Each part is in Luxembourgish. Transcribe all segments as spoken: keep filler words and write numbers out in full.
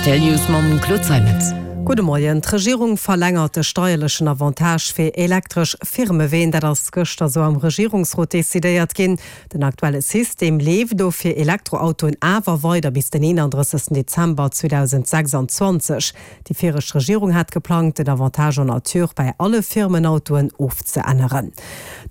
Rtl News mam Claude Zeimetz. Gudde Moien. D'Regierung verlängert de steierlechen Avantage fir elektresch Firmeween. Dat ass gëschter esou am Regierungsrot decidéiert ginn. Den aktuelle System leeft do fir Elektroautoen awer weider bis den eenandrëssegsten Dezember zweedausendsechsanzwanzeg. Déi viregt Regierung hat geplangt, den Avantage en nature bei alle Firmenautoen ofzeänneren.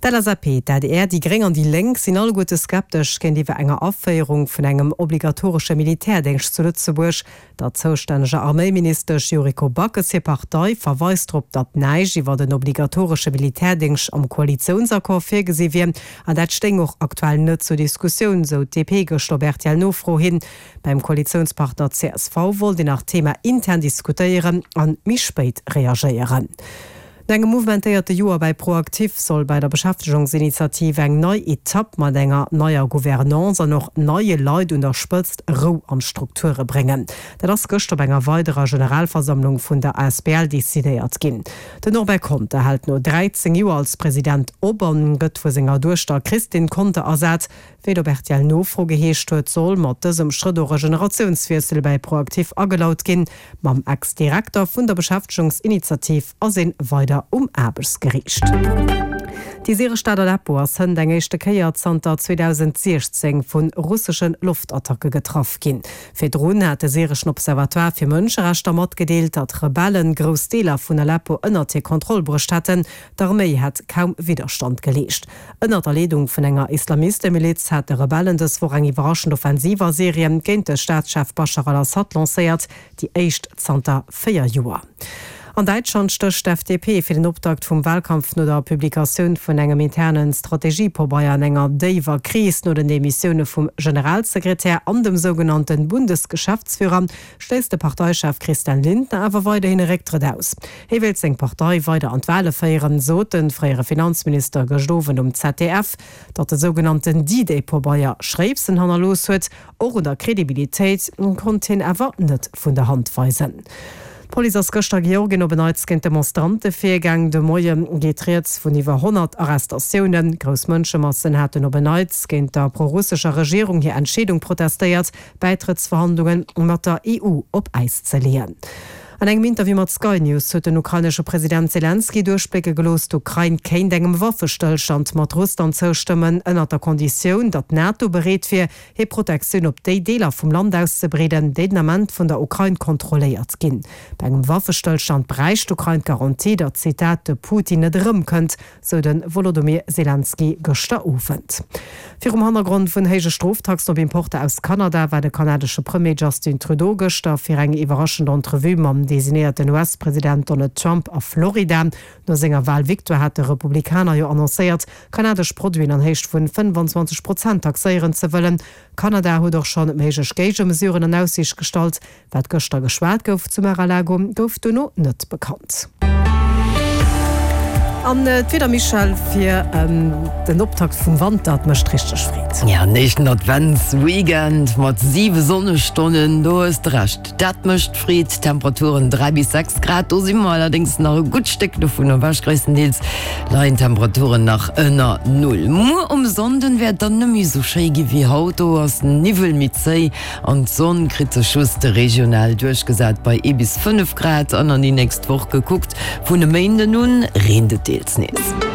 D'L S A P, d'A D R, déi Gréng an déi Lénk sinn alleguerte skeptesch géintiwwer enger Aféierung vun engem obligatoresche Militärdéngscht zu Lëtzebuerg. Der zoustänneger Arméiministesch Yuriko Backes hir Partei verweist drop, datt näischt iwwer en obligatoresche Militärdéngscht am Koalitiounsaccord virgesi wier an dat stéing och aktuell net zur Diskussioun, sou d'D P gëschter op R T L-Nofro hin. Beim Koalitiounspartner C S V wollt een nach d'Thema intern diskutéieren an méi spéit reagéieren. No engem mouvementéierte Joer bei ProActif soll bei der Beschäftegungsinitiativ eng nei Etapp mat enger neier Gouvernance an och neie Leit un der Spëtzt Rou an d'Strukture bréngen. Dat ass gëschter op enger weiderer Generalversammlung vun der A S B L decidéiert ginn. Den Norbert Conter hält no dräizéng Joer als President op an gëtt vu senger Duechter Christine Conter ersat. Wéi et op R T L-Nofro geheescht huet, soll mat dësem Schrëtt och e Generatiounswiessel bei ProActif agelaut ginn. Mam Ex-Direkter vun der Beschäftegungsinitiativ ass ee weider um Aarbechtsgeriicht. Déi syresch Stad Aleppo ass hënt eng éischte Kéier zanter zweedausendsechzéng vu russesche Loftattacke getraff ginn. Virdrun hat de syreschen Observatoire fir Mënscherechter matgedeelt, datt Rebellen grouss Deeler vun Aleppo ënnert hir Kontroll bruecht hätten. D'Arméi hätt kaum Widderstand geleescht. Ënnert der Leedung vun enger Islamistemiliz hat de Rebellen dës Woch eng iwwerraschend Offensiv a Syrien géint de Staatschef Baschar al-Assad lancéiert, déi éischt zanter véier Joer. An Däitschland stécht d'F D P fir den Optakt vum Walkampf no der Publikatioun vun engem internen Strategiepabeier an enger déiwer Kris. No den Demissioune vum Generalsekretär an dem sougenannten Bundesgeschäftsführer schléisst de Parteichef Christian Lindner awer weiderhin e Récktrëtt aus. Hie wéilt seng Partei weider an d'Wale féieren, sot de fréiere Finanzminister gëscht Owend um Z D F. Datt de sougenannten D-Day-Pabeier Schréipsen hannerlooss huet, och un der Kredibilitéit, konnt hien awer net vun der Hand weisen. D'Police ass gëschter a Georgien op en Neits géint Demonstrante virgaang. De Moie geet rieds vun iwwer honnert Arrestatiounen. Grouss Mënschemassen haten op en Neits géint der prorussescher Regierung hir Entscheedung protestéiert, Bäitrëttsverhandlunge mat der E U op Äis ze leeën. An engem Interview mat Sky News huet den ukrainesche President Selenskyj duerchblécke gelooss, d'Ukrain kéint engem Waffestëllstand mat Russland zoustëmmen, ënnert der Konditioun, datt d'NATO bereet wier, hir Protektioun op déi Deeler vum Land auszebreeden, déi den Ament vun der Ukrain kontrolléiert ginn. Bei engem Waffestëllstand bräicht d'Ukrain d'Garantie, datt, Zitat, de Putin net erëmkënnt, sou de Wolodymyr Selenskyj gëschter Owend. Virum Hannergrond vun héije Stroftaxen op Importer aus Kanada war de kanadesche Premier Justin Trudeau gëschter fir eng iwwerraschend Entrevue mam designéierten U S-President Donald Trump a Florida. No senger Walvictoire hat de Republikaner jo annoncéiert, kanadesch Produiten an Héicht vun fënnefanzwanzeg Prozent taxéieren ze wëllen. Kanada huet och schonn méiglech Géigemesuren an Aussiicht gestallt. Wat gëschter geschwat gouf zu Mar-a-Lago, gouf duerno net bekannt. An d'Wieder, Michèle, fir den Optakt vum Wanter, et mécht richteg Freed. Ja, den éischten Adventsweekend mat siwe Sonnestonnen, do hues de Recht, dat mécht Freed. Temperaturen dräi bis sechs Grad, do si mer allerdéngs nach e gutt Stéck dovun ewech, gréisstendeels leien d'Temperaturen nach ënner Null. Muer um Sonnden wäert et dann net méi esou schéi gi wéi haut, do ass den Niwwel méi zéi an d'Sonn kritt sech just regional duerchgesat bei ee bis fënnef Grad. An an déi nächst Woch gekuckt, vun e Méinden un reent et deels nees.